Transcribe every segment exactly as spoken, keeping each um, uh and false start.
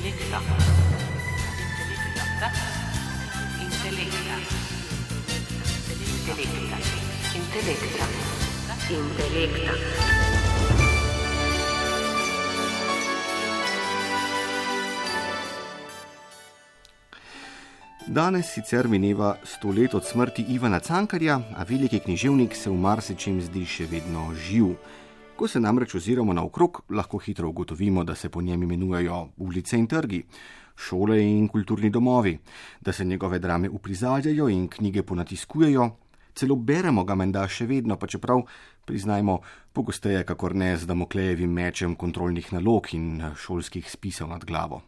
Intelekta. Intelekta. Intelekta. Intelekta. Intelekta. Danes sicer mineva sto let od smrti Ivana Cankarja, a veliki književnik se v marsičem zdi še vedno živ. Ko se namreč oziramo naokrog, lahko hitro ugotovimo, da se po njem imenujejo ulice in trgi, šole in kulturni domovi, da se njegove drame uprizarjajo in knjige ponatiskujejo, celo beremo ga menda še vedno, pa čeprav, priznajmo, pogosteje kakor ne z Damoklejevim mečem kontrolnih nalog in šolskih spisov nad glavo.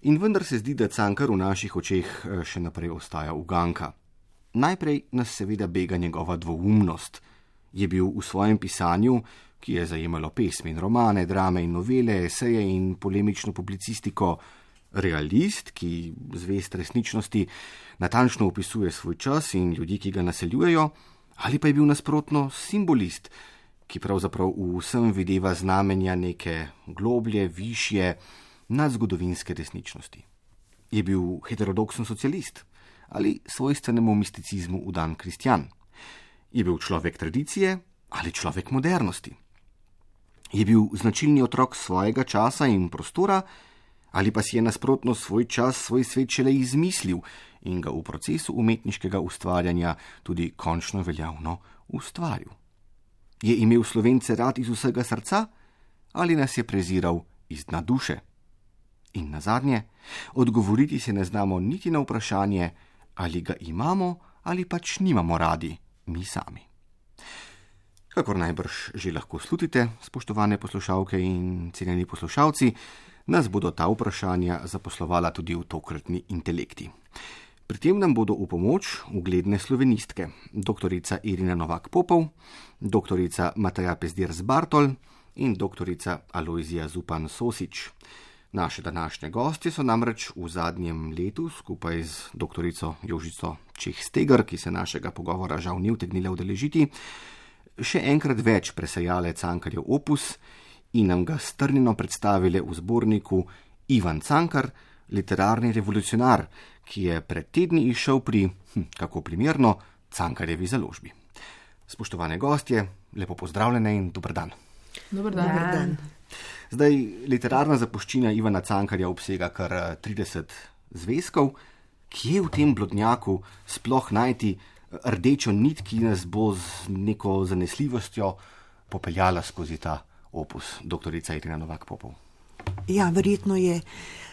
In vendar se zdi, da Cankar v naših očeh še naprej ostaja uganka. Najprej nas seveda bega njegova dvoumnost. Je bil v svojem pisanju, ki je zajemalo pesmi in romane, drame in novele, eseje in polemično publicistiko, realist, ki zvest resničnosti natančno opisuje svoj čas in ljudi, ki ga naseljujejo, ali pa je bil nasprotno simbolist, ki pravzaprav v vsem videva znamenja neke globlje, višje, nadzgodovinske resničnosti. Je bil heterodoksen socialist ali svojstvenemu misticizmu vdan kristjan? Je bil človek tradicije ali človek modernosti? Je bil značilni otrok svojega časa in prostora ali pa si je nasprotno svoj čas, svoj svet šele izmislil in ga v procesu umetniškega ustvarjanja tudi končno veljavno ustvaril? Je imel Slovence rad iz vsega srca ali nas je preziral iz dna duše? In nazadnje, odgovoriti se ne znamo niti na vprašanje, ali ga imamo ali pač nimamo radi mi sami. Kakor najbrž že lahko slutite, spoštovane poslušalke in cenjeni poslušalci, nas bodo ta vprašanja zaposlovala tudi v tokratni Intelekti. Pri tem nam bodo v pomoč ugledne slovenistke, doktorica Irina Novak Popov, doktorica Mateja Pezdirc-Bartol in doktorica Alojzija Zupan Sosič. Naše današnje gostje so namreč v zadnjem letu skupaj z doktorico Jožico Čeh-Stegar, ki se našega pogovora žal ni utegnila udeležiti, še enkrat več presejale Cankarjev opus in nam ga strnjeno predstavile v zborniku Ivan Cankar, literarni revolucionar, ki je pred tedni izšel pri, hm, kako primerno, Cankarjevi založbi. Spoštovane gostje, lepo pozdravljene in dober dan. Dober dan. Dober dan. Zdaj, literarna zapuščina Ivana Cankarja obsega kar trideset zvezkov. Kje v tem blodnjaku sploh najti rdečo nit, ki nas bo z neko zanesljivostjo popeljala skozi ta opus, doktorica Irina Novak Popov? Ja, verjetno je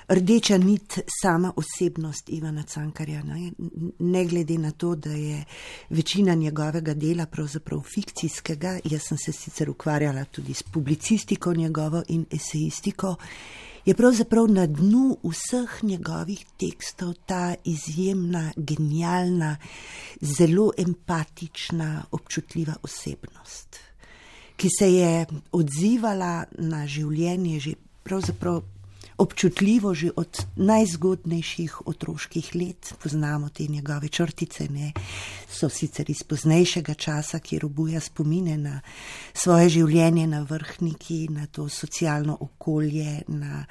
rdeča nit sama osebnost Ivana Cankarja. Ne? ne glede na to, da je večina njegovega dela pravzaprav fikcijskega, jaz sem se sicer ukvarjala tudi s publicistiko njegovo in esejistiko, je pravzaprav na dnu vseh njegovih tekstov ta izjemna, genialna, zelo empatična, občutljiva osebnost, ki se je odzivala na življenje že pravzaprav občutljivo že od najzgodnejših otroških let. Poznamo te njegove črtice, ne? So sicer iz poznejšega časa, kjer obuja spomine na svoje življenje na Vrhniki, na to socialno okolje, na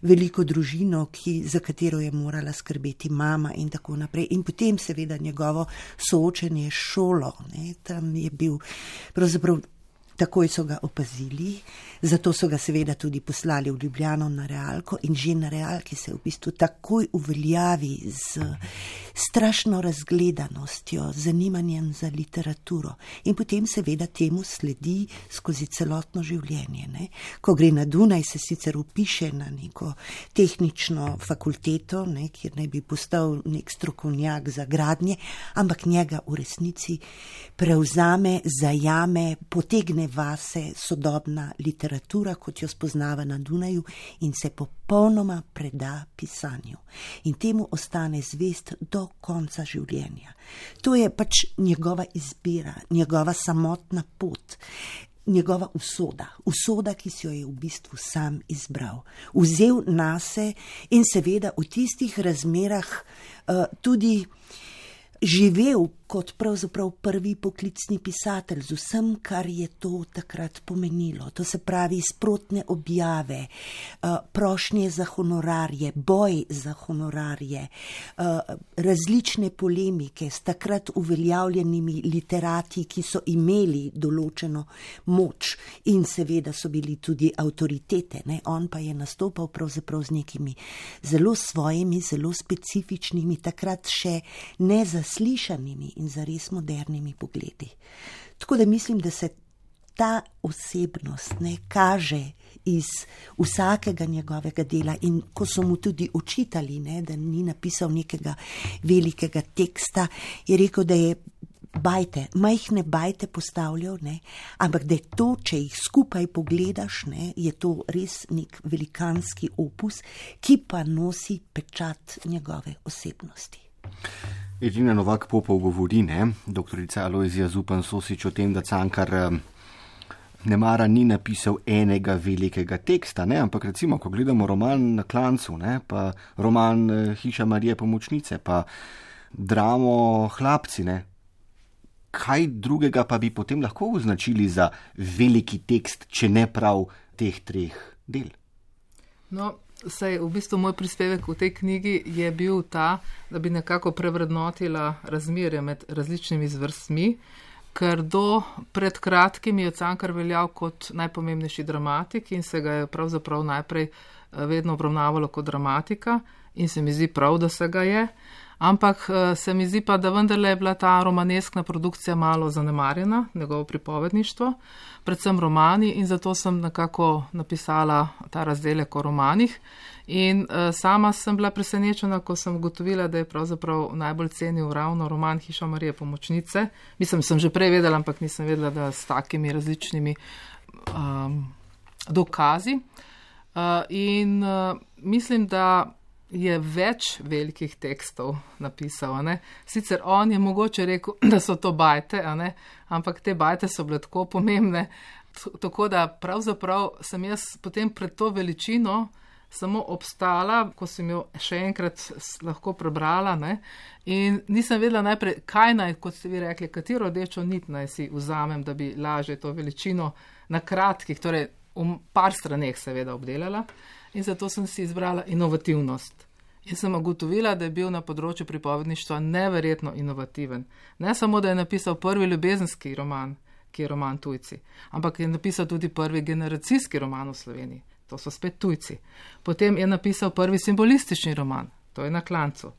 veliko družino, ki, za katero je morala skrbeti mama in tako naprej. In potem seveda njegovo soočenje s šolo, ne? Tam je bil pravzaprav. Takoj so ga opazili, zato so ga seveda tudi poslali v Ljubljano na Realko in že na Realki se v bistvu takoj uveljavi z strašno razgledanostjo, zanimanjem za literaturo in potem seveda temu sledi skozi celotno življenje. Ne? Ko gre na Dunaj, se sicer upiše na neko tehnično fakulteto, ne, kjer naj bi postal nek strokovnjak za gradnje, ampak njega v resnici prevzame, zajame, potegne vase sodobna literatura, kot jo spoznava na Dunaju in se popolnoma preda pisanju. In temu ostane zvest do konca življenja. To je pač njegova izbira, njegova samotna pot, njegova usoda, usoda, ki si jo je v bistvu sam izbral. Vzel nase in seveda v tistih razmerah uh, tudi živel kot pravzaprav prvi poklicni pisatelj z vsem, kar je to takrat pomenilo. To se pravi sprotne objave, prošnje za honorarje, boj za honorarje, različne polemike s takrat uveljavljenimi literati, ki so imeli določeno moč in seveda so bili tudi avtoritete. Ne? On pa je nastopal pravzaprav z nekimi zelo svojimi, zelo specifičnimi, takrat še nezaslišanimi in zares modernimi pogledi. Tako da mislim, da se ta osebnost ne kaže iz vsakega njegovega dela in ko so mu tudi očitali, ne, da ni napisal nekega velikega teksta, je rekel, da je bajte, majhne bajte postavljal, ne, ampak da je to, če jih skupaj pogledaš, ne, je to res nek velikanski opus, ki pa nosi pečat njegove osebnosti. Edina Novak Popov govori, ne, doktorica Alojzija Zupan Sosič, o tem, da Cankar nemara ni napisal enega velikega teksta, ne, ampak recimo, ko gledamo roman Na klancu, ne, pa roman Hiša Marije Pomočnice, pa dramo Hlapci, ne, kaj drugega pa bi potem lahko označili za veliki tekst, če ne prav teh treh del? No, saj v bistvu moj prispevek v tej knjigi je bil ta, da bi nekako prevrednotila razmerje med različnimi zvrstmi, ker do pred kratkim je Cankar veljal kot najpomembnejši dramatik in se ga je pravzaprav najprej vedno obravnavalo kot dramatika in se mi zdi prav, da se ga je. Ampak se mi zdi pa, da vendarle je bila ta romaneskna produkcija malo zanemarjena, njegovo pripovedništvo, predvsem romani in zato sem nekako napisala ta razdelek o romanih. In uh, sama sem bila presenečena, ko sem ugotovila, da je pravzaprav najbolj cenil ravno roman Hiša Marije Pomočnice. Mislim, sem že prej vedela, ampak nisem vedela, da s takimi različnimi um, dokazi. Uh, in uh, mislim, da je več velikih tekstov napisal. A ne? Sicer on je mogoče rekel, da so to bajte, a ne? Ampak te bajte so bile tako pomembne, tako da pravzaprav sem jaz potem pred to veličino samo obstala, ko sem jo še enkrat lahko prebrala, ne? In nisem vedela najprej, kaj naj, kot ste vi rekli, katero rdečo nit naj si vzamem, da bi lažje to veličino na kratkih, torej v par straneh seveda obdelala. In zato sem si izbrala inovativnost. In sem ugotovila, da je bil na področju pripovedništva neverjetno inovativen. Ne samo, da je napisal prvi ljubezenski roman, ki je roman Tujci, ampak je napisal tudi prvi generacijski roman v Sloveniji. To so spet tujci. Potem je napisal prvi simbolistični roman, to je Na klancu.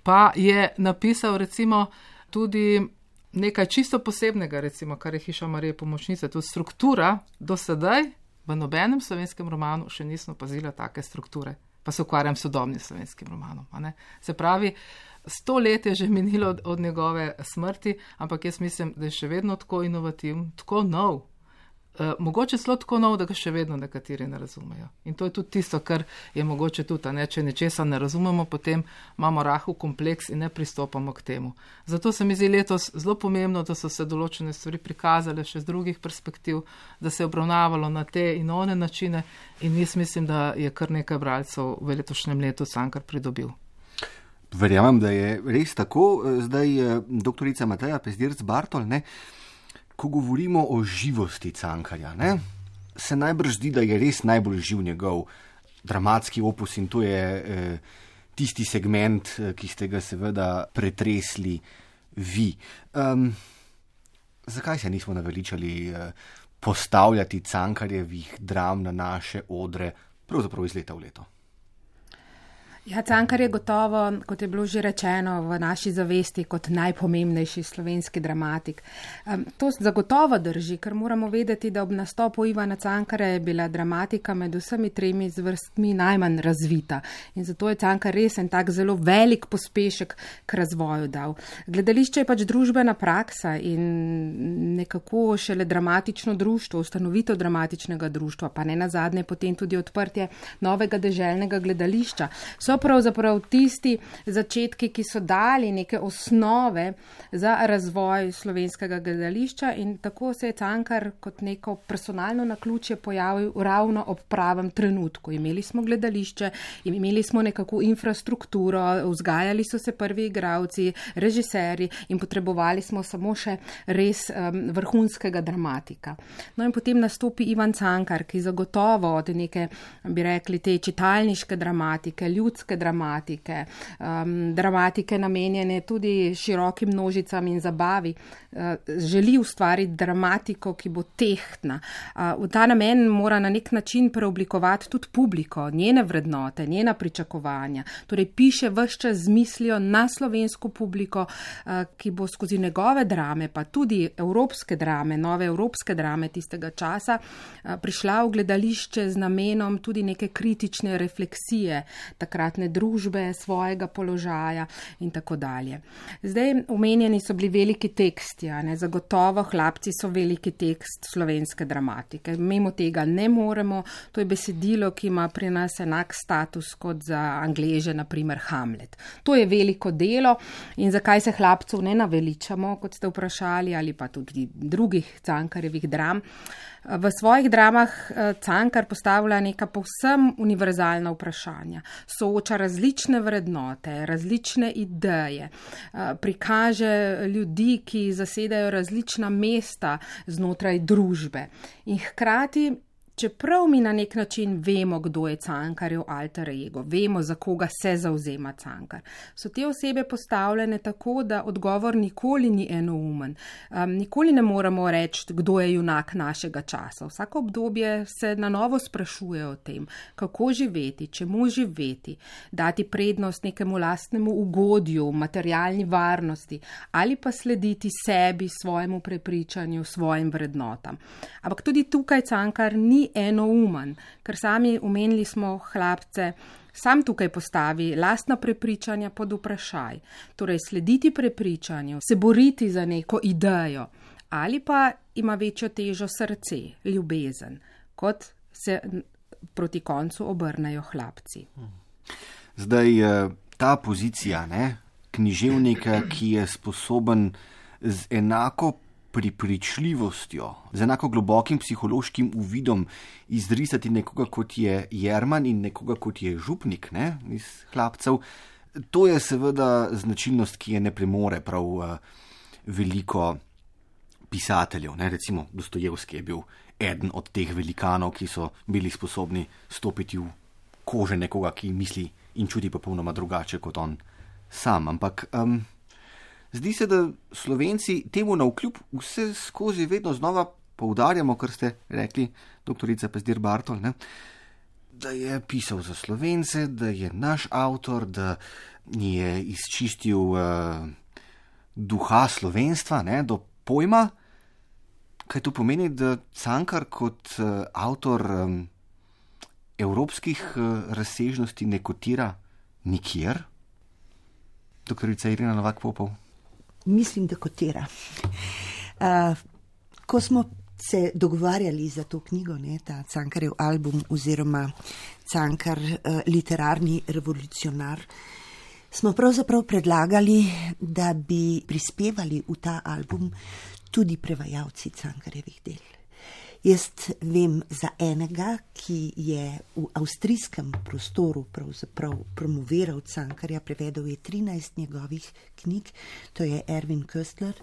Pa je napisal recimo tudi nekaj čisto posebnega, recimo, kar je Hiša Marije Pomočnice. To struktura do sedaj v nobenem slovenskem romanu še nismo opazila take strukture, pa se ukvarjam s sodobnim slovenskim romanom. A ne? Se pravi, sto let je že minilo od, od njegove smrti, ampak jaz mislim, da je še vedno tako inovativen, tako nov. Uh, mogoče celo tako nov, da ga še vedno nekateri ne razumejo. In to je tudi tisto, kar je mogoče tudi, ne? Če nečesa ne razumemo, potem imamo rahel kompleks in ne pristopamo k temu. Zato se mi zdi letos zelo pomembno, da so se določene stvari prikazale še z drugih perspektiv, da se je obravnavalo na te in one načine in jaz mislim, da je kar nekaj bralcev v letošnjem letu Cankar pridobil. Verjamem, da je res tako. Zdaj doktorica Mateja Pezdirc Bartol, ne? Ko govorimo o živosti Cankarja, ne, se najbrž zdi, da je res najbolj živ njegov dramatski opus in to je eh, tisti segment, ki ste ga seveda pretresli vi. Um, zakaj se nismo naveličali eh, postavljati Cankarjevih dram na naše odre, pravzaprav iz leta v leto? Ja, Cankar je gotovo, kot je bilo že rečeno, v naši zavesti kot najpomembnejši slovenski dramatik. Um, to zagotovo drži, ker moramo vedeti, da ob nastopu Ivana Cankarja je bila dramatika med vsemi tremi zvrstmi najmanj razvita. In zato je Cankar res en tak zelo velik pospešek k razvoju dal. Gledališče je pač družbena praksa in nekako šele dramatično društvo, ustanovitev dramatičnega društva, pa ne nazadnje potem tudi odprtje novega deželnega gledališča, so so pravzaprav tisti začetki, ki so dali neke osnove za razvoj slovenskega gledališča in tako se je Cankar kot neko personalno naključje pojavil ravno ob pravem trenutku. Imeli smo gledališče, imeli smo nekako infrastrukturo, vzgajali so se prvi igralci, režiserji in potrebovali smo samo še res um, vrhunskega dramatika. No in potem nastopi Ivan Cankar, ki zagotovo od neke, bi rekli, te čitalniške dramatike, ljudske dramatike, um, dramatike namenjene tudi širokim množicam in zabavi, uh, želi ustvariti dramatiko, ki bo tehtna. Uh, v ta namen mora na nek način preoblikovati tudi publiko, njene vrednote, njena pričakovanja. Torej piše ves čas z mislijo na slovensko publiko, uh, ki bo skozi njegove drame, pa tudi evropske drame, nove evropske drame tistega časa, uh, prišla v gledališče z namenom tudi neke kritične refleksije takratne družbe, svojega položaja in tako dalje. Zdaj, omenjeni so bili veliki teksti, a ne, zagotovo Hlapci so veliki tekst slovenske dramatike. Mimo tega ne moremo, to je besedilo, ki ima pri nas enak status kot za Angleže, naprimer Hamlet. To je veliko delo in zakaj se Hlapcev ne naveličamo, kot ste vprašali, ali pa tudi drugih Cankarjevih dram. V svojih dramah Cankar postavlja neka povsem univerzalna vprašanja, sooča različne vrednote, različne ideje, prikaže ljudi, ki zasedajo različna mesta znotraj družbe in hkrati, čeprav mi na nek način vemo, kdo je Cankarjev alter ego, vemo, za koga se zavzema Cankar, so te osebe postavljene tako, da odgovor nikoli ni enoumen. Um, nikoli ne moremo reči, kdo je junak našega časa. Vsako obdobje se na novo sprašuje o tem, kako živeti, čemu živeti, dati prednost nekemu lastnemu ugodju, materialni varnosti ali pa slediti sebi, svojemu prepričanju, svojim vrednotam. Ampak tudi tukaj Cankar ni enoumen, ker sami omenili smo Hlapce, sam tukaj postavi lastna prepričanja pod vprašaj. Torej slediti prepričanju, se boriti za neko idejo ali pa ima večjo težo srce, ljubezen, kot se proti koncu obrnejo Hlapci. Zdaj, ta pozicija, ne, književnika, ki je sposoben z enako pripričljivostjo, z enako globokim psihološkim uvidom izrisati nekoga, kot je Jerman in nekoga, kot je Župnik, ne, iz Hlapcev. To je seveda značilnost, ki je ne premore prav uh, veliko pisateljev. Ne. Recimo Dostojevski je bil eden od teh velikanov, ki so bili sposobni stopiti v kože nekoga, ki misli in čuti popolnoma drugače kot on sam. Ampak um, zdi se, da Slovenci temu navkljub vse skozi vedno znova poudarjamo, kar ste rekli, doktorica Pezdir Bartol, ne, da je pisal za Slovence, da je naš avtor, da je izčistil uh, duha slovenstva, ne, do pojma. Kaj to pomeni, da Cankar kot uh, avtor um, evropskih uh, razsežnosti ne kotira nikjer? Doktorica Irena Novak-Popov. Mislim, da kotira. Uh, ko smo se dogovarjali za to knjigo, ne, ta Cankarjev album oziroma Cankar uh, literarni revolucionar, smo pravzaprav predlagali, da bi prispevali v ta album tudi prevajalci Cankarjevih del. Jaz vem za enega, ki je v avstrijskem prostoru pravzaprav promoviral Cankarja, prevedel je trinajst njegovih knjig, to je Erwin Köstler,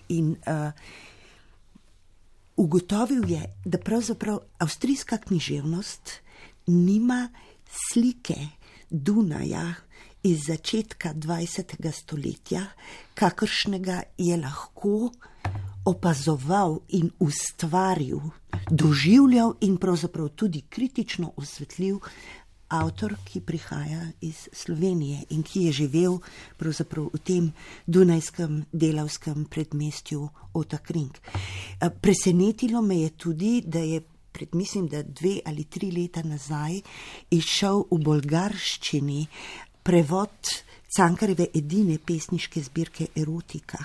in uh, ugotovil je, da pravzaprav avstrijska književnost nima slike Dunaja iz začetka dvajsetega stoletja, kakršnega je lahko opazoval in ustvaril, doživljal in pravzaprav tudi kritično osvetlil avtor, ki prihaja iz Slovenije in ki je živel pravzaprav v tem dunajskem delavskem predmestju Ottakring. Presenetilo me je tudi, da je pred, mislim, da dve ali tri leta nazaj izšel v bolgarščini prevod Cankarjeve edine pesniške zbirke Erotika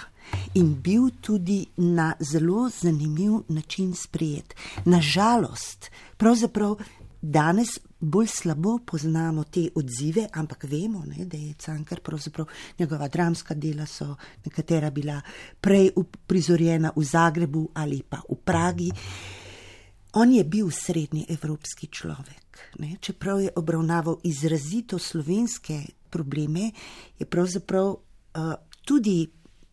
in bil tudi na zelo zanimiv način sprejet. Na žalost, pravzaprav danes bolj slabo poznamo te odzive, ampak vemo, ne, da je Cankar pravzaprav njegova dramska dela so nekatera bila prej uprizorjena v Zagrebu ali pa v Pragi. On je bil srednji evropski človek, ne, čeprav je obravnaval izrazito slovenske probleme, je pravzaprav uh, tudi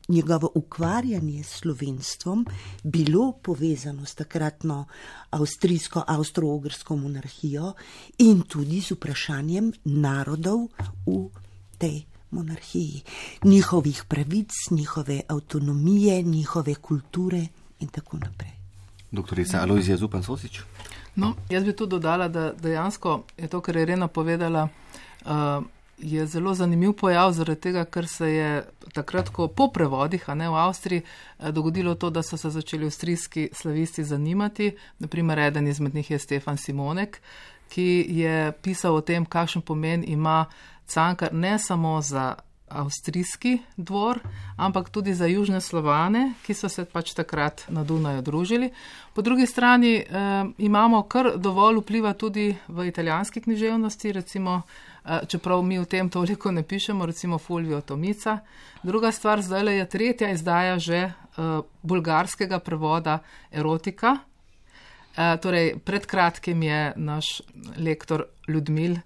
njegovo ukvarjanje s slovenstvom bilo povezano s takratno avstrijsko, avstro-ogrsko monarhijo in tudi z vprašanjem narodov v tej monarhiji, njihovih pravic, njihove avtonomije, njihove kulture in tako naprej. Doktorica Alojzija Zupan Sosič. No, jaz bi tu dodala, da dejansko je to, kar je Irena povedala, uh, je zelo zanimiv pojav, zaradi tega, ker se je takrat, ko po prevodih, a ne v Avstriji, dogodilo to, da so se začeli avstrijski slavisti zanimati. Naprimer, eden izmed njih je Stefan Simonek, ki je pisal o tem, kakšen pomen ima Cankar ne samo za avstrijski dvor, ampak tudi za južne Slovane, ki so se pač takrat na Dunaju družili. Po drugi strani eh, imamo kar dovolj vpliva tudi v italijanski književnosti, recimo, eh, čeprav mi v tem toliko ne pišemo, recimo Fulvio Tomica. Druga stvar, zdaj je tretja izdaja že eh, bulgarskega prevoda erotika. Eh, torej, pred kratkim je naš lektor Ljudmil eh,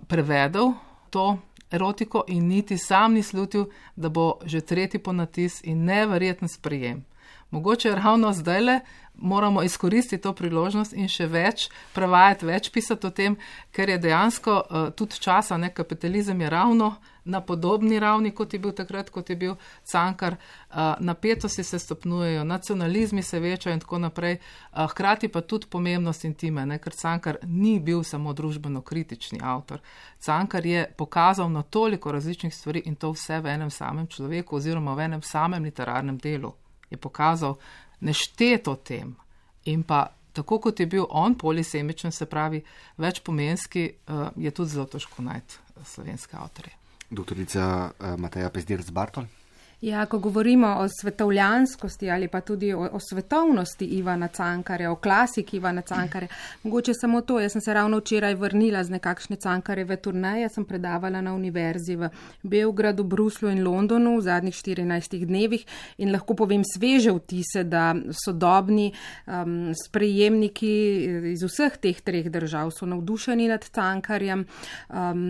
prevedel to erotiko in niti sam ni slutil, da bo že tretji ponatis in neverjeten sprejem. Mogoče ravno zdajle moramo izkoristiti to priložnost in še več prevajati, več pisati o tem, ker je dejansko uh, tudi časa, ne, kapitalizem je ravno na podobni ravni, kot je bil takrat, kot je bil Cankar, uh, napetosti se stopnjujejo, nacionalizmi se večajo in tako naprej, uh, hkrati pa tudi pomembnost intime, ne, ker Cankar ni bil samo družbeno kritični avtor. Cankar je pokazal na toliko različnih stvari in to vse v enem samem človeku oziroma v enem samem literarnem delu. Je pokazal nešteto tem in pa tako, kot je bil on polisemičen, se pravi večpomenski, uh, je tudi zelo težko najti slovenske avtorje. Doktorica uh, Mateja Pezdirc Bartol. Ja, ko govorimo o svetovljanskosti ali pa tudi o, o svetovnosti Ivana Cankarja, o klasiki Ivana Cankarja, mogoče samo to, jaz sem se ravno včeraj vrnila z nekakšne Cankarjeve turneje, sem predavala na univerzi v Beogradu, Bruslu in Londonu v zadnjih štirinajstih dnevih in lahko povem sveže vtise, da sodobni um, sprejemniki iz vseh teh treh držav so navdušeni nad Cankarjem. Um,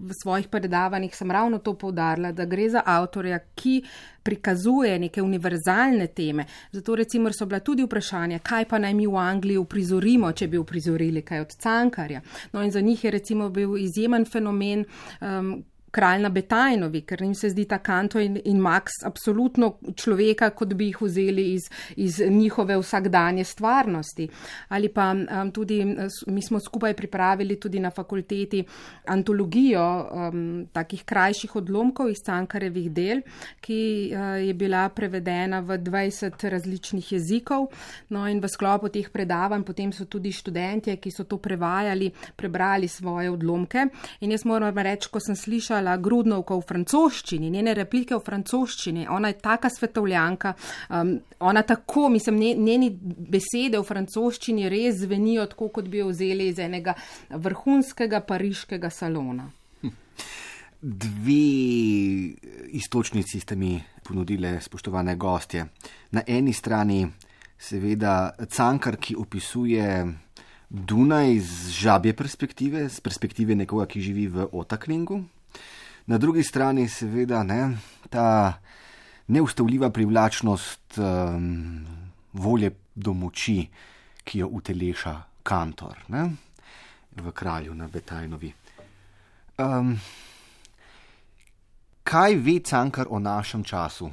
v svojih predavanjih sem ravno to poudarila, da gre za avtorja, ki prikazuje neke univerzalne teme. Zato recimo so bila tudi vprašanja, kaj pa naj mi v Angliji uprizorimo, če bi uprizorili kaj od Cankarja. No in za njih je recimo bil izjemen fenomen um, Kralj na Betajnovi, ker njim se zdi ta Kanto in, in Max absolutno človeka, kot bi jih vzeli iz, iz njihove vsakdanje stvarnosti. Ali pa um, tudi, mi smo skupaj pripravili tudi na fakulteti antologijo um, takih krajših odlomkov iz Cankarjevih del, ki uh, je bila prevedena v dvajset različnih jezikov. No in v sklopu teh predavanj potem so tudi študentje, ki so to prevajali, prebrali svoje odlomke. In jaz moram reči, ko sem slišala Grudnovko v francoščini, njene replike v francoščini, ona je taka svetovljanka, um, ona tako, mislim, njeni besede v francoščini res zvenijo tako, kot bi jo vzeli iz enega vrhunskega pariškega salona. Hm. Dve istočnici ste mi ponudile, spoštovane gostje. Na eni strani seveda Cankar, ki opisuje Dunaj z žabje perspektive, z perspektive nekoga, ki živi v Otaklingu. Na drugi strani seveda ne, ta neustavljiva privlačnost um, volje do moči, ki jo uteleša Kantor, ne, v Kralju na Betajnovi. Um, kaj ve Cankar o našem času,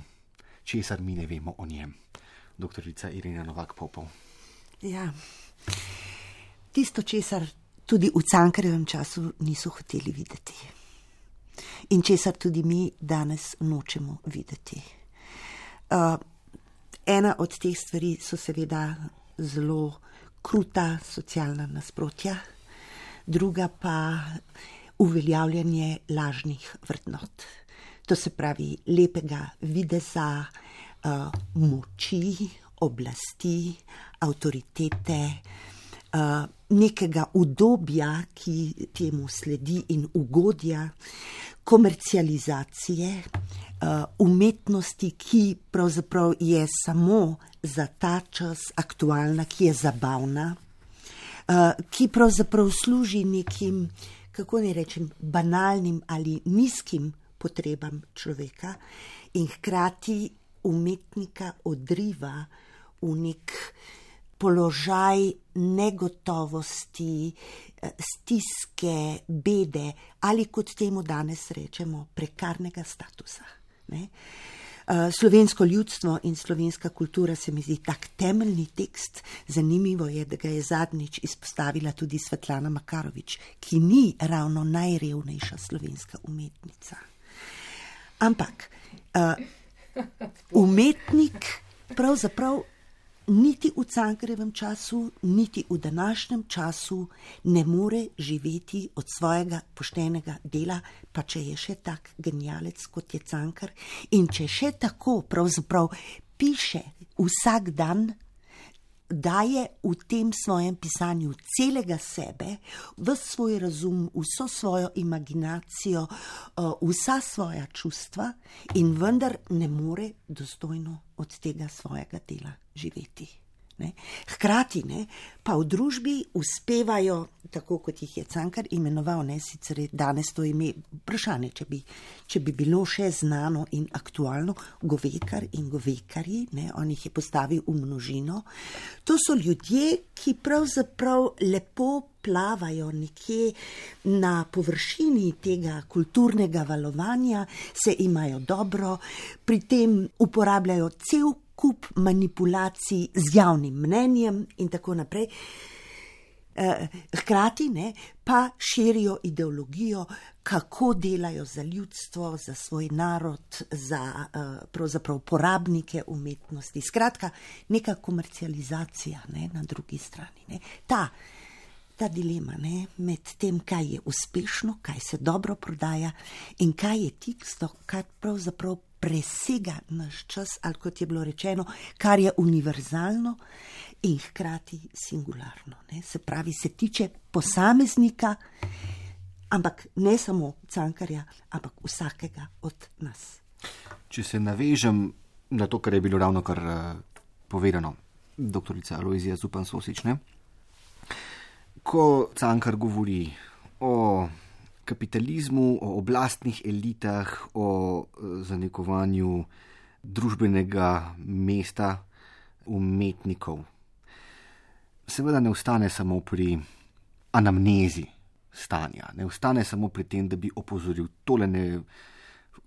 česar mi ne vemo o njem? Doktorica Irena Novak Popov. Ja, tisto, česar tudi v Cankarjevem času niso hoteli videti. In česar tudi mi danes nočemo videti. Uh, ena od teh stvari so seveda zelo kruta socialna nasprotja, druga pa uveljavljanje lažnih vrednot. To se pravi lepega videza, uh, moči, oblasti, avtoritete, uh, nekega udobja, ki temu sledi in ugodja, komercializacije, uh, umetnosti, ki pravzaprav je samo za ta čas aktualna, ki je zabavna, uh, ki pravzaprav služi nekim, kako ne rečem, banalnim ali nizkim potrebam človeka in hkrati umetnika odriva v nek položaj negotovosti, stiske, bede ali kot temu danes rečemo prekarnega statusa. Ne? Slovensko ljudstvo in slovenska kultura se mi zdi tak temeljni tekst. Zanimivo je, da ga je zadnjič izpostavila tudi Svetlana Makarovič, ki ni ravno najrevnejša slovenska umetnica. Ampak uh, umetnik pravzaprav niti v Cankarjevem času, niti v današnjem času ne more živeti od svojega poštenega dela, pa če je še tak genialec, kot je Cankar, in če še tako pravzaprav piše vsak dan, daje v tem svojem pisanju celega sebe, ves svoj razum, vso svojo imaginacijo, vsa svoja čustva in vendar ne more dostojno od tega svojega dela živeti. Ne? Hkrati ne, pa v družbi uspevajo, tako kot jih je Cankar imenoval, ne, sicer je danes to ime vprašanje, če bi, če bi bilo še znano in aktualno, Govekar in Govekarji, ne, on jih je postavil v množino. To so ljudje, ki pravzaprav lepo plavajo nekje na površini tega kulturnega valovanja, se imajo dobro, pri tem uporabljajo cel kup manipulacij z javnim mnenjem in tako naprej. Hkrati ne, pa širijo ideologijo, kako delajo za ljudstvo, za svoj narod, za pravzaprav porabnike umetnosti. Skratka, neka komercializacija ne, na drugi strani. Ne. Ta, ta dilema ne, med tem, kaj je uspešno, kaj se dobro prodaja in kaj je tisto, kar pravzaprav presega naš čas, ali kot je bilo rečeno, kar je univerzalno in hkrati singularno. Ne? Se pravi, se tiče posameznika, ampak ne samo Cankarja, ampak vsakega od nas. Če se navežem na to, kar je bilo ravno kar uh, povedano, doktorica Alojzija Zupan Sosič, ne? Ko Cankar govori o kapitalizmu, o oblastnih elitah, o zanekovanju družbenega mesta umetnikov. Seveda ne ostane samo pri anamnezi stanja, ne ostane samo pri tem, da bi opozoril, tole ne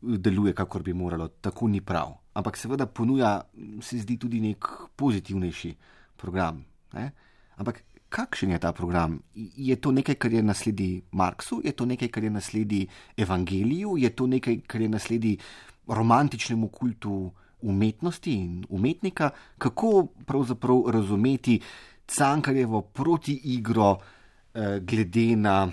deluje, kakor bi moralo, tako ni prav. Ampak seveda ponuja, se zdi, tudi nek pozitivnejši program. Ne? Ampak kakšen je ta program? Je to nekaj, kar je nasledi Marksu? Je to nekaj, kar je nasledi Evangeliju? Je to nekaj, kar je nasledi romantičnemu kultu umetnosti in umetnika? Kako pravzaprav razumeti Cankarjevo protiigro eh, glede na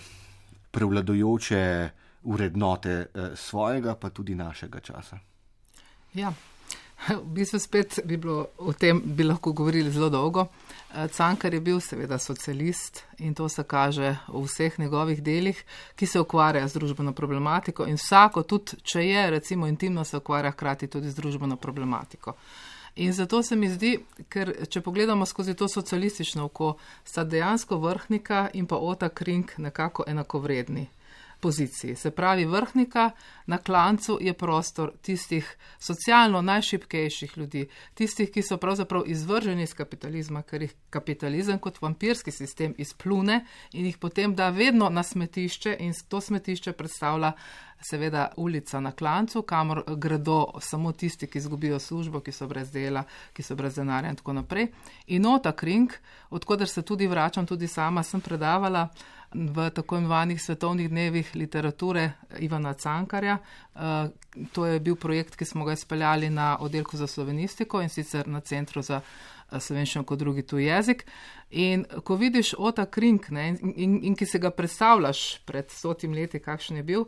prevladujoče vrednote eh, svojega, pa tudi našega časa? Ja, v bistvu spet bi bilo o tem, bi lahko govorili zelo dolgo. Cankar je bil seveda socialist in to se kaže v vseh njegovih delih, ki se ukvarja z družbeno problematiko in vsako, tudi če je, recimo intimno, se ukvarja hkrati tudi z družbeno problematiko. In zato se mi zdi, ker če pogledamo skozi to socialistično oko, sta dejansko Vrhnika in pa Ota Kring nekako enakovredni poziciji. Se pravi, Vrhnika na klancu je prostor tistih socialno najšibkejših ljudi, tistih, ki so pravzaprav izvrženi iz kapitalizma, ker jih kapitalizem kot vampirski sistem izplune in jih potem da vedno na smetišče in to smetišče predstavlja seveda ulica na klancu, kamor gredo samo tisti, ki izgubijo službo, ki so brez dela, ki so brez denarja in tako naprej. In Ota Kring, odkoder se tudi vračam, tudi sama sem predavala v tako imenovanih svetovnih dnevih literature Ivana Cankarja. To je bil projekt, ki smo ga izpeljali na oddelku za slovenistiko in sicer na Centru za slovenščino kot drugi tuj jezik. In ko vidiš Ota Kring, ne, in, in, in ki se ga predstavljaš pred stotim leti, kakšen je bil,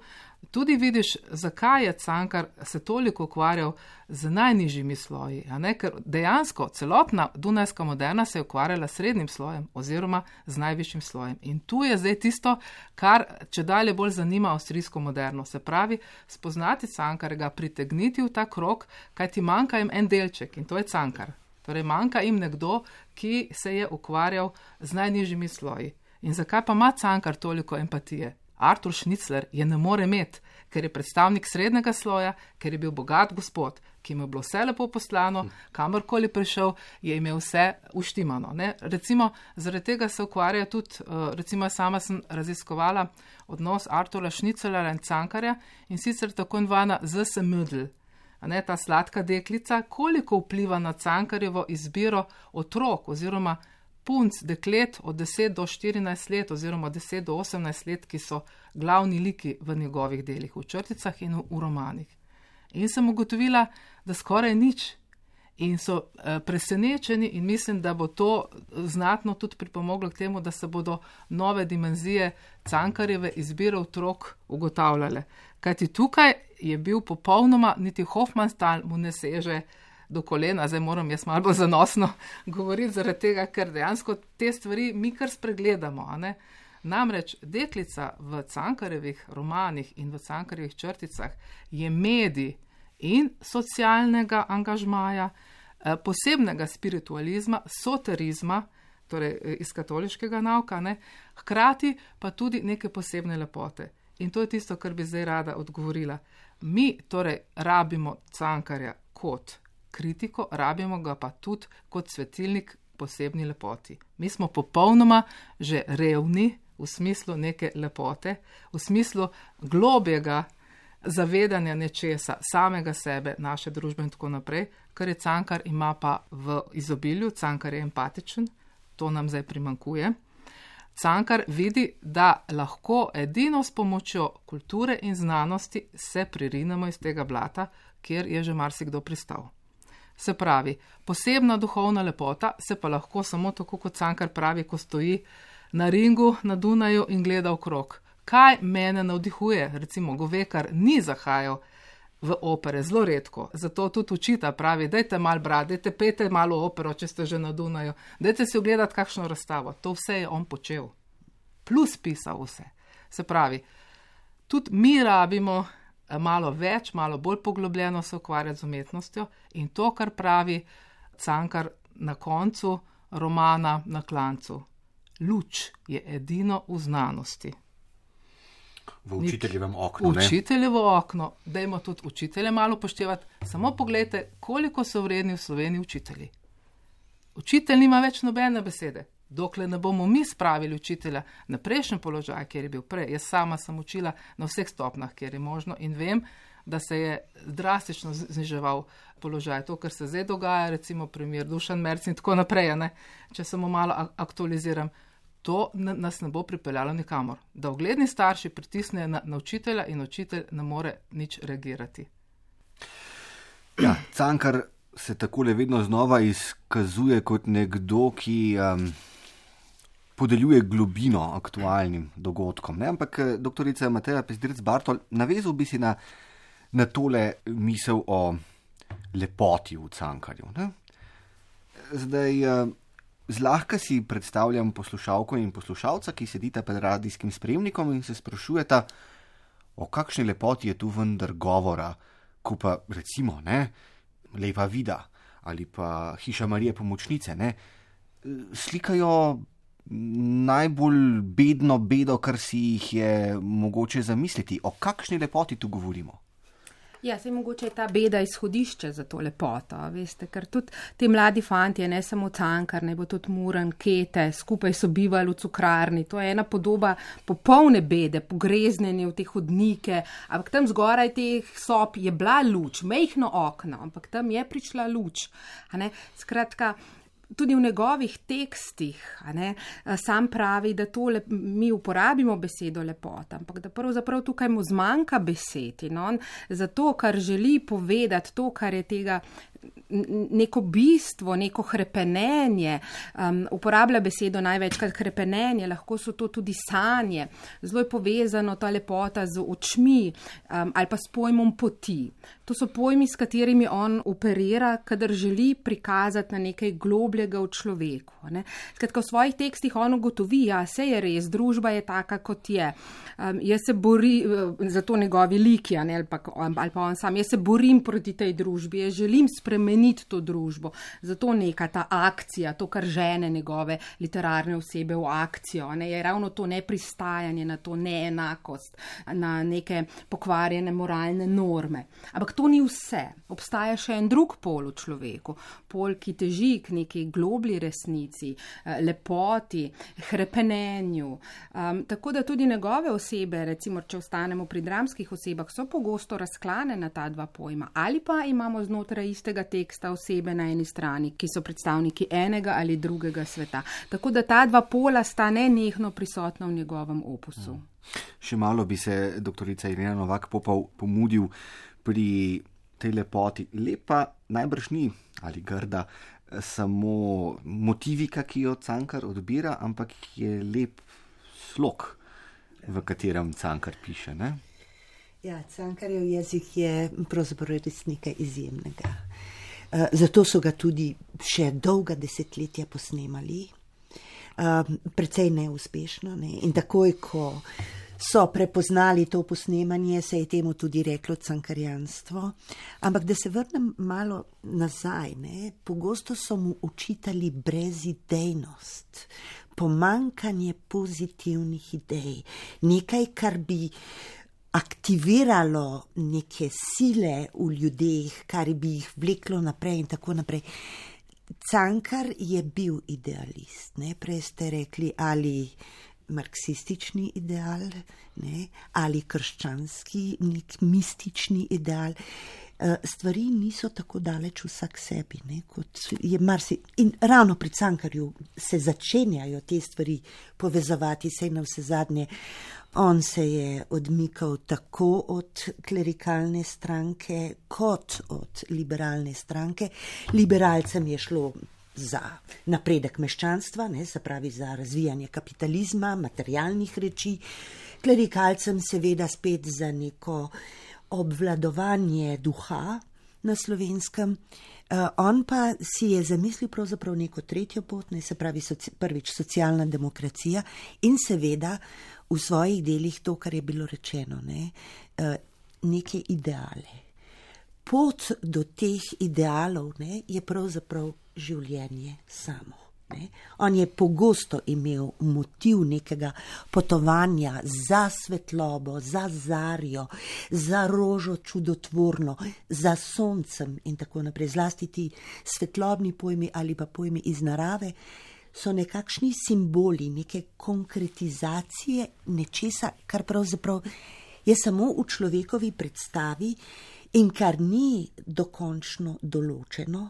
tudi vidiš, zakaj je Cankar se toliko ukvarjal z najnižjimi sloji, a ne, ker dejansko celotna dunajska moderna se je ukvarjala s srednjim slojem oziroma z najvišjim slojem. In tu je zdaj tisto, kar če dalje bolj zanima avstrijsko moderno. Se pravi, spoznati Cankarja, pritegniti v ta krog, kaj ti manjka jim en delček in to je Cankar. Torej manjka jim nekdo, ki se je ukvarjal z najnižjimi sloji. In zakaj pa ima Cankar toliko empatije? Artur Šnicler je ne more imeti, ker je predstavnik srednjega sloja, ker je bil bogat gospod, ki mu je bilo vse lepo poslano, kamorkoli prišel, je imel vse uštimano. Ne? Recimo, zaradi tega se ukvarja tudi, recimo sama sem raziskovala odnos Artura Šniclera in Cankarja in sicer tako invana Z S Mödl, ne, ta sladka deklica, koliko vpliva na Cankarjevo izbiro otrok oziroma punc, deklet od deset do štirinajst let oziroma deset do osemnajst let, ki so glavni liki v njegovih delih, v črticah in v romanih. In sem ugotovila, da skoraj nič. In so eh, presenečeni in mislim, da bo to znatno tudi pripomoglo k temu, da se bodo nove dimenzije Cankarjeve izbire otrok ugotavljale. Kajti tukaj je bil popolnoma, niti Hofmannsthal mu ne seže do kolena, zdaj moram jaz malo bolj zanosno govoriti zaradi tega, ker dejansko te stvari mi kar spregledamo. A ne? Namreč deklica v Cankarjevih romanih in v Cankarjevih črticah je medij in socialnega angažmaja, posebnega spiritualizma, soterizma, torej iz katoliškega nauka, ne? Hkrati pa tudi neke posebne lepote. In to je tisto, kar bi zdaj rada odgovorila. Mi torej rabimo Cankarja kot kritiko, rabimo ga pa tudi kot svetilnik posebni lepoti. Mi smo popolnoma že revni v smislu neke lepote, v smislu globjega zavedanja nečesa, samega sebe, naše družbe in tako naprej, kar je Cankar ima pa v izobilju. Cankar je empatičen, to nam zdaj primankuje. Cankar vidi, da lahko edino s pomočjo kulture in znanosti se pririnemo iz tega blata, kjer je že marsikdo pristal. Se pravi, posebna duhovna lepota se pa lahko samo tako, kot Cankar pravi, ko stoji na ringu na Dunaju in gleda okrog. Kaj mene navdihuje? Recimo, Govekar ni zahajal v opere, zelo redko. Zato tudi učita pravi, dajte malo brati, dajte pejte malo opero, če ste že na Dunaju. Dajte si ogledati kakšno razstavo. To vse je on počel. Plus pisal vse. Se pravi, tudi mi rabimo malo več, malo bolj poglobljeno se ukvarjati z umetnostjo in to, kar pravi Cankar na koncu romana Na klancu. Luč je edino v znanosti. V učiteljevem oknu, ne? Učiteljevo okno, dajmo tudi učitelje malo upoštevati. Samo pogledajte, koliko so vredni v Sloveniji učitelji. Učitelj nima več nobene besede. Dokler ne bomo mi spravili učitelja na prejšnji položaj, kjer je bil prej. Jaz sama sem učila na vseh stopnjah, kjer je možno in vem, da se je drastično zniževal položaj. To, kar se zdaj dogaja, recimo primer Dušan Merc in tako naprej, ne? Če samo malo aktualiziram, to nas ne bo pripeljalo nikamor. Da ugledni starši pritisnejo na, na učitelja in učitelj ne more nič reagirati. Ja, Cankar se takole vedno znova izkazuje kot nekdo, ki um, podeljuje globino aktualnim dogodkom. Ne? Ampak doktorica Mateja Pezdirc-Bartol, navezal bi si na, na tole misel o lepoti v Cankarju. Ne? Zdaj, uh, zlahka si predstavljam poslušalko in poslušalca, ki sedita pred radijskim sprejemnikom in se sprašujeta, o kakšni lepoti je tu vendar govora, ko pa recimo, ne, Lepa vida ali pa Hiša Marije Pomočnice, ne, slikajo najbolj bedno bedo, kar si jih je mogoče zamisliti. O kakšni lepoti tu govorimo? Ja, se mogoče je ta beda izhodišče za to lepoto, veste, ker tudi ti mladi fantje, ne samo Cankar, ne bo tudi Muran, Kete, skupaj so bivali v cukrarni, to je ena podoba popolne bede, pogreznjenje v te hodnike, ampak tam zgoraj teh sob je bila luč, mejhno okno, ampak tam je prišla luč, a ne, skratka, tudi v njegovih tekstih, a ne, sam pravi, da to lep, mi uporabimo besedo lepota, ampak da pravzaprav tukaj mu zmanjka besed in on za to, kar želi povedati, to, kar je tega neko bistvo, neko hrepenenje, um, uporablja besedo največkrat hrepenenje, lahko so to tudi sanje, zelo je povezano ta lepota z očmi um, ali pa s pojmom poti. To so pojmi, s katerimi on operira, kadar želi prikazati na nekaj globljega v človeku. Ne. Skratka, v svojih tekstih on ugotovi, ja, se je res, družba je taka, kot je. Um, jaz se borim, za to njegovi liki, ne, ali, pa, ali pa on sam, jaz se borim proti tej družbi, jaz želim spremeniti to družbo. Zato neka ta akcija, to, kar žene njegove literarne osebe v akcijo, ne, je ravno to nepristajanje na to neenakost, na neke pokvarjene moralne norme. Ampak to ni vse. Obstaja še en drug pol v človeku, pol, ki teži k neki globlji resnici, lepoti, hrepenenju. Um, tako da tudi njegove osebe, recimo, če ostanemo pri dramskih osebah, so pogosto razklane na ta dva pojma. Ali pa imamo znotraj istega teksta osebe na eni strani, ki so predstavniki enega ali drugega sveta. Tako da ta dva pola sta nenehno prisotna v njegovem opusu. Še malo bi se doktorica Irena Novak-Popov pomudil pri tej lepoti. Lepa najbrž ni ali grda samo motivika, ki jo Cankar odbira, ampak je lep slog, v katerem Cankar piše, ne? Ja, Cankarjev jezik je pravzaprav res nekaj izjemnega. Zato so ga tudi še dolga desetletja posnemali, precej neuspešno, ne? In takoj, ko so prepoznali to posnemanje, se je temu tudi reklo cankarjanstvo. Ampak da se vrnem malo nazaj, ne? Pogosto so mu učitali brezidejnost, pomankanje pozitivnih idej, nekaj, kar bi aktiviralo neke sile v ljudeh, kar bi jih vleklo naprej in tako naprej. Cankar je bil idealist, ne? Prej ste rekli, ali marksistični ideal, ne, ali krščanski, nek mistični ideal. Stvari niso tako daleč vsak sebi, ne, kot je marsi. In ravno pri Cankarju se začenjajo te stvari povezovati, saj na vse zadnje. On se je odmikal tako od klerikalne stranke, kot od liberalne stranke. Liberalcem je šlo za napredek meščanstva, ne, se pravi za razvijanje kapitalizma, materialnih reči, klerikalcem seveda spet za neko obvladovanje duha na Slovenskem. Uh, on pa si je zamislil pravzaprav neko tretjo pot, ne, se pravi soci, prvič socialna demokracija in seveda v svojih delih to, kar je bilo rečeno, ne, uh, neke ideale. Pot do teh idealov, ne, je pravzaprav življenje samo. Ne. On je pogosto imel motiv nekega potovanja za svetlobo, za zarjo, za rožo čudotvorno, za soncem in tako naprej. Zlasti ti svetlobni pojmi ali pa pojmi iz narave so nekakšni simboli, neke konkretizacije nečesa, kar pravzaprav je samo v človekovi predstavi in kar ni dokončno določeno,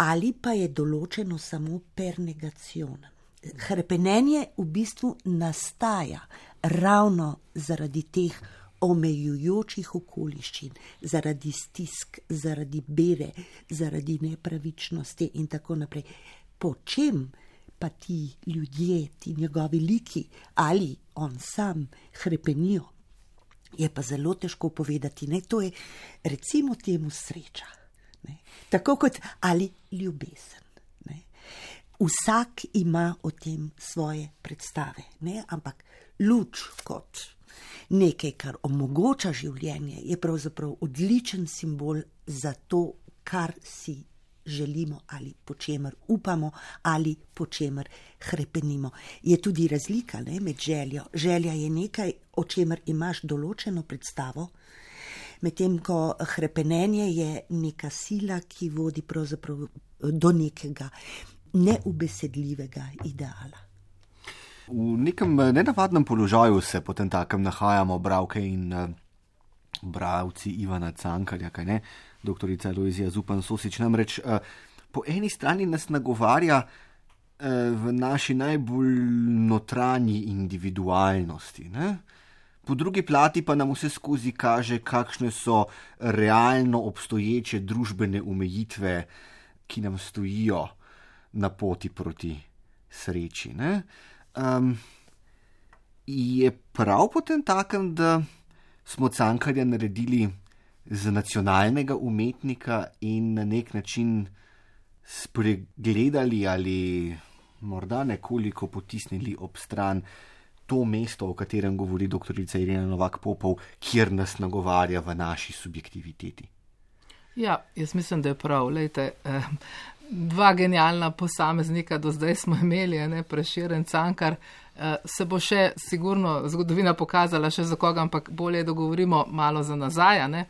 ali pa je določeno samo per negacion. Hrepenenje v bistvu nastaja ravno zaradi teh omejujočih okoliščin, zaradi stisk, zaradi bede, zaradi nepravičnosti in tako naprej. Po čem pa ti ljudje, ti njegovi liki ali on sam hrepenijo, je pa zelo težko povedati. Ne? To je recimo temu sreča. Ne? Tako kot ali ljubezen. Ne? Vsak ima o tem svoje predstave, ne? Ampak luč kot nekaj, kar omogoča življenje, je pravzaprav odličen simbol za to, kar si želimo ali po čemer upamo ali po čemer hrepenimo. Je tudi razlika, ne, med željo. Želja je nekaj, o čemer imaš določeno predstavo, medtem ko hrepenenje je neka sila, ki vodi pravzaprav do nekega neubesedljivega ideala. V nekem nenavadnem položaju se potem takem nahajamo bralke in bralci Ivana Cankarja, kaj ne? Doktorica Lojzija Zupan-Sosič namreč po eni strani nas nagovarja v naši najbolj notranji individualnosti, ne? Po drugi plati pa nam vse skozi kaže, kakšne so realno obstoječe družbene omejitve, ki nam stojijo na poti proti sreči. Um, je prav potem takem, da smo Cankarja naredili za nacionalnega umetnika in na nek način spregledali ali morda nekoliko potisnili ob stran to mesto, o katerem govori doktorica Irena Novak Popov, kjer nas nagovarja v naši subjektiviteti. Ja, jaz mislim, da je prav. Lejte, eh, dva genialna posameznika do zdaj smo imeli, ne, Prešeren, Cankar. Eh, se bo še sigurno zgodovina pokazala še za koga, ampak bolje, da govorimo malo za nazaj, ne.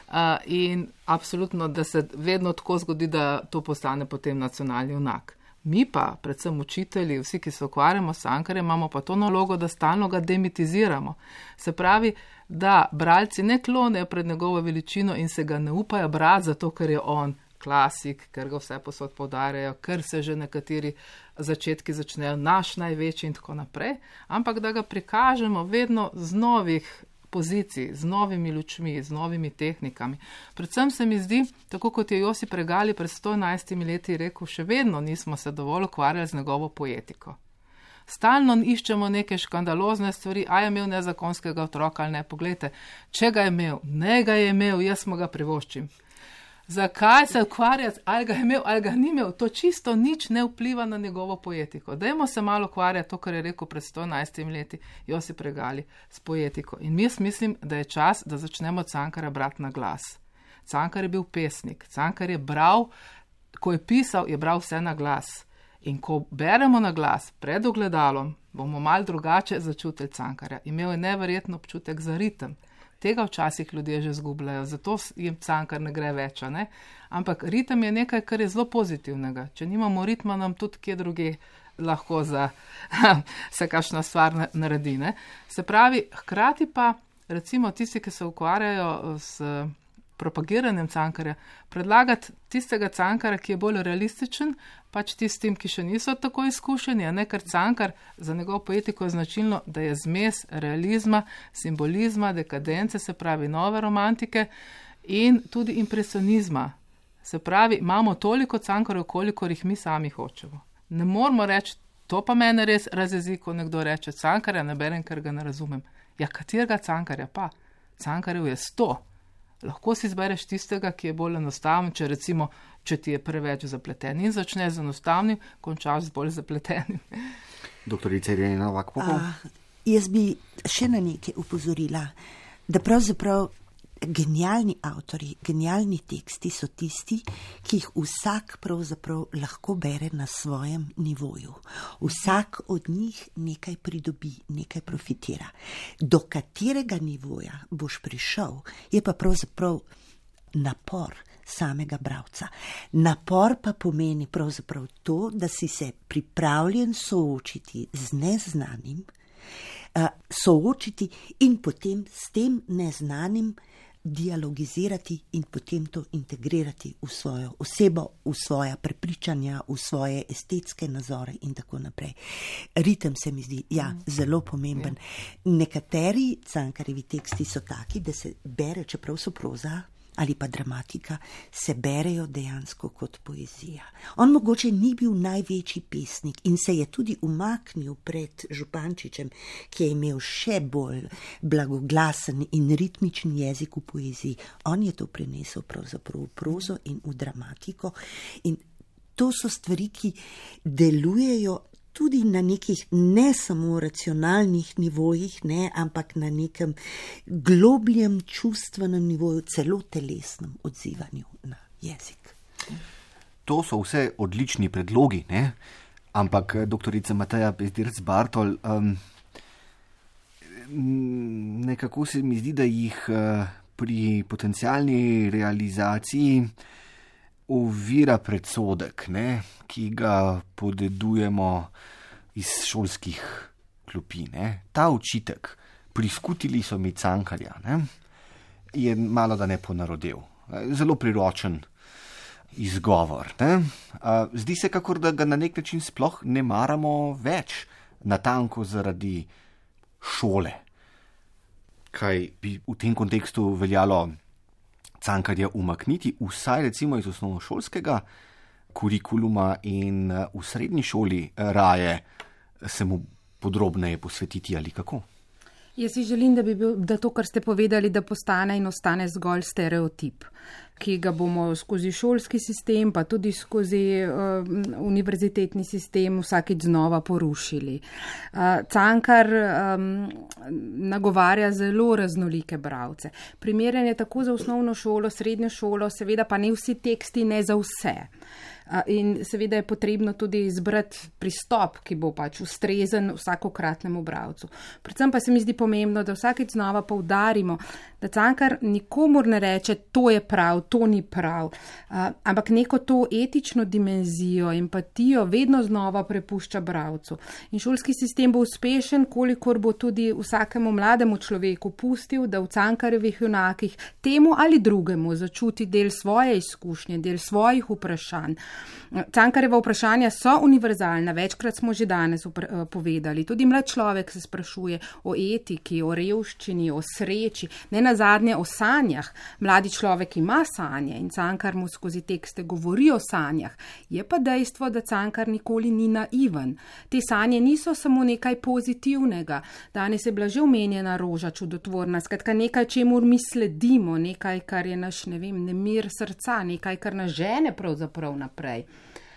Uh, in absolutno, da se vedno tako zgodi, da to postane potem nacionalni junak. Mi pa, predvsem učitelji, vsi, ki se ukvarjamo s Cankarjem, imamo pa to nalogo, da stalno ga demitiziramo. Se pravi, da bralci ne klonejo pred njegovo veličino in se ga ne upajo brati, zato ker je on klasik, ker ga vse posod poudarjajo, ker se že nekateri začetki začnejo naš največji in tako naprej, ampak da ga prikažemo vedno z novih pozicij, z novimi lučmi, z novimi tehnikami. Predvsem se mi zdi, tako kot je Josip Regali pred sto enajstimi leti rekel, še vedno nismo se dovolj ukvarjali z njegovo poetiko. Stalno iščemo neke škandalozne stvari, a je imel nezakonskega otroka ali ne. Poglejte, če ga je imel, ne ga je imel, jaz mu ga privoščim. Zakaj se ukvarjati, ali ga je imel, ali ga ni imel, to čisto nič ne vpliva na njegovo poetiko. Dajmo se malo ukvarjati, to, kar je rekel pred sto enajstimi leti Josip Regali, s poetiko. In jaz mislim, da je čas, da začnemo Cankarja brati na glas. Cankar je bil pesnik, Cankar je bral, ko je pisal, je bral vse na glas. In ko beremo na glas pred ogledalom, bomo malo drugače začutili Cankarja. Imel je neverjetno občutek za ritem. Tega včasih ljudje že zgubljajo, zato jim Cankar ne gre več, ne? Ampak ritem je nekaj, kar je zelo pozitivnega. Če nimamo ritma, nam tudi kje druge lahko za se kakšna stvar naredi, ne? Se pravi, hkrati pa, recimo tisti, ki se ukvarjajo s propagiranjem Cankarja, predlagati tistega Cankarja, ki je bolj realističen, pač tistim, ki še niso tako izkušeni, a ne, ker Cankar za njegovo poetiko je značilno, da je zmes realizma, simbolizma, dekadence, se pravi nove romantike in tudi impresionizma. Se pravi, imamo toliko Cankarjev, kolikor jih mi sami hočemo. Ne moramo reči, to pa mene res razjezi, ko nekdo reče, Cankarja ne berem, ker ga ne razumem. Ja, katerega Cankarja pa? Cankarjev je sto. Lahko si izbereš tistega, ki je bolj enostaven, če recimo, če ti je preveč zapleten in začne z enostavnim, končaš z bolj zapletenim. Doktorica Irena Novak Popov. Jaz bi še na nekaj upozorila, da pravzaprav genialni avtori, genialni teksti so tisti, ki jih vsak pravzaprav lahko bere na svojem nivoju. Vsak od njih nekaj pridobi, nekaj profitira. Do katerega nivoja boš prišel, je pa pravzaprav napor samega bralca. Napor pa pomeni pravzaprav to, da si se pripravljen soočiti z neznanim, soočiti in potem s tem neznanim dialogizirati in potem to integrirati v svojo osebo, v svoja prepričanja, v svoje estetske nazore in tako naprej. Ritem se mi zdi, ja, zelo pomemben. Nekateri Cankarjevi teksti so taki, da se bere, čeprav so proza ali pa dramatika, se berejo dejansko kot poezija. On mogoče ni bil največji pesnik in se je tudi umaknil pred Župančičem, ki je imel še bolj blagoglasen in ritmičen jezik v poeziji. On je to prenesel pravzaprav v prozo in v dramatiko in to so stvari, ki delujejo tudi na nekih ne samo racionalnih nivojih, ne, ampak na nekem globljem čustvenem nivoju, celo telesnem odzivanju na jezik. To so vse odlični predlogi, ne? Ampak doktorica Mateja Pezdirc Bartol, um, nekako se mi zdi, da jih uh, pri potencialni realizaciji ovira predsodek, ne, ki ga podedujemo iz šolskih klopi. Ne. Ta očitek, priskutili so mi Cankarja, ne, je malo da ne ponarodel. Zelo priročen izgovor. Ne. Zdi se, kakor da ga na nek način sploh ne maramo več, natanko zaradi šole. kaj bi v tem kontekstu veljalo Cankarja umakniti, vsaj recimo iz osnovnošolskega kurikuluma in v srednji šoli raje se mu podrobneje posvetiti ali kako? Jaz si želim, da bi bil, da to, kar ste povedali, da postane in ostane zgolj stereotip, ki ga bomo skozi šolski sistem, pa tudi skozi uh, univerzitetni sistem vsakič znova porušili. Uh, Cankar um, nagovarja zelo raznolike bralce. Primeren je tako za osnovno šolo, srednjo šolo, seveda pa ne vsi teksti, ne za vse. In seveda je potrebno tudi izbrati pristop, ki bo pač ustrezen vsakokratnemu bralcu. Predvsem pa se mi zdi pomembno, da vsakeč znova poudarimo, da Cankar nikomur ne reče, to je prav, to ni prav, ampak neko to etično dimenzijo, empatijo vedno znova prepušča bralcu. In šolski sistem bo uspešen, kolikor bo tudi vsakemu mlademu človeku pustil, da v Cankarjevih junakih temu ali drugemu začuti del svoje izkušnje, del svojih vprašanj. Cankarjeva vprašanja so univerzalna, večkrat smo že danes povedali. Tudi mlad človek se sprašuje o etiki, o revščini, o sreči, ne nazadnje o sanjah. Mladi človek ima sanje in Cankar mu skozi tekste govori o sanjah. Je pa dejstvo, da Cankar nikoli ni naiven. Te sanje niso samo nekaj pozitivnega. Danes je bila že omenjena roža čudotvorna, skratka nekaj, čemur mi sledimo, nekaj, kar je naš, ne vem, nemir srca, nekaj, kar nas žene pravzaprav naprej.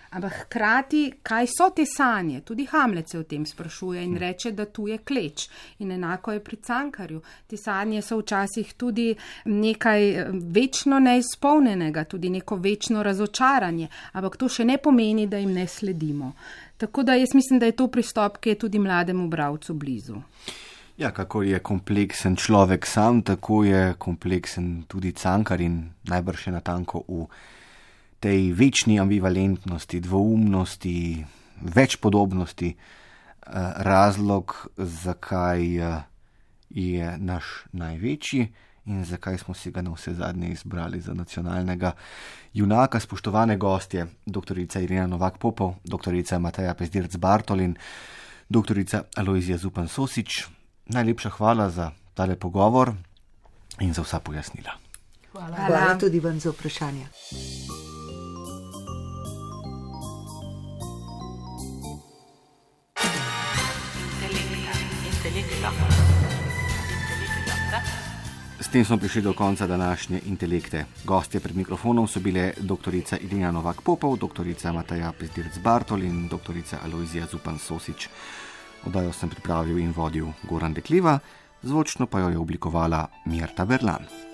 Ampak hkrati, kaj so te sanje? Tudi Hamlet se o tem sprašuje in reče, da tu je kleč. In enako je pri Cankarju. Te sanje so včasih tudi nekaj večno neizpolnjenega, tudi neko večno razočaranje. Ampak to še ne pomeni, da jim ne sledimo. Tako da jaz mislim, da je to pristop, ki je tudi mlademu bralcu blizu. Ja, kako je kompleksen človek sam, tako je kompleksen tudi Cankar in najbrž je natanko v tej večni ambivalentnosti, dvoumnosti, več podobnosti razlog, zakaj je naš največji in zakaj smo si ga na vse zadnje izbrali za nacionalnega junaka. Spoštovane gostje, doktorica Irena Novak Popov, doktorica Mateja Pezdirc Bartol in doktorica Alojzija Zupan Sosič. Najlepša hvala za tale pogovor in za vsa pojasnila. Hvala, hvala tudi vam za vprašanje. S tem smo prišli do konca današnje Intelekte. Gostje pred mikrofonom so bile doktorica Irena Novak Popov, doktorica Mateja Pezdirc Bartol in doktorica Alojzija Zupan Sosič. Oddajo sem pripravil in vodil Goran Dekliva, zvočno pa jo je oblikovala Mirta Berlan.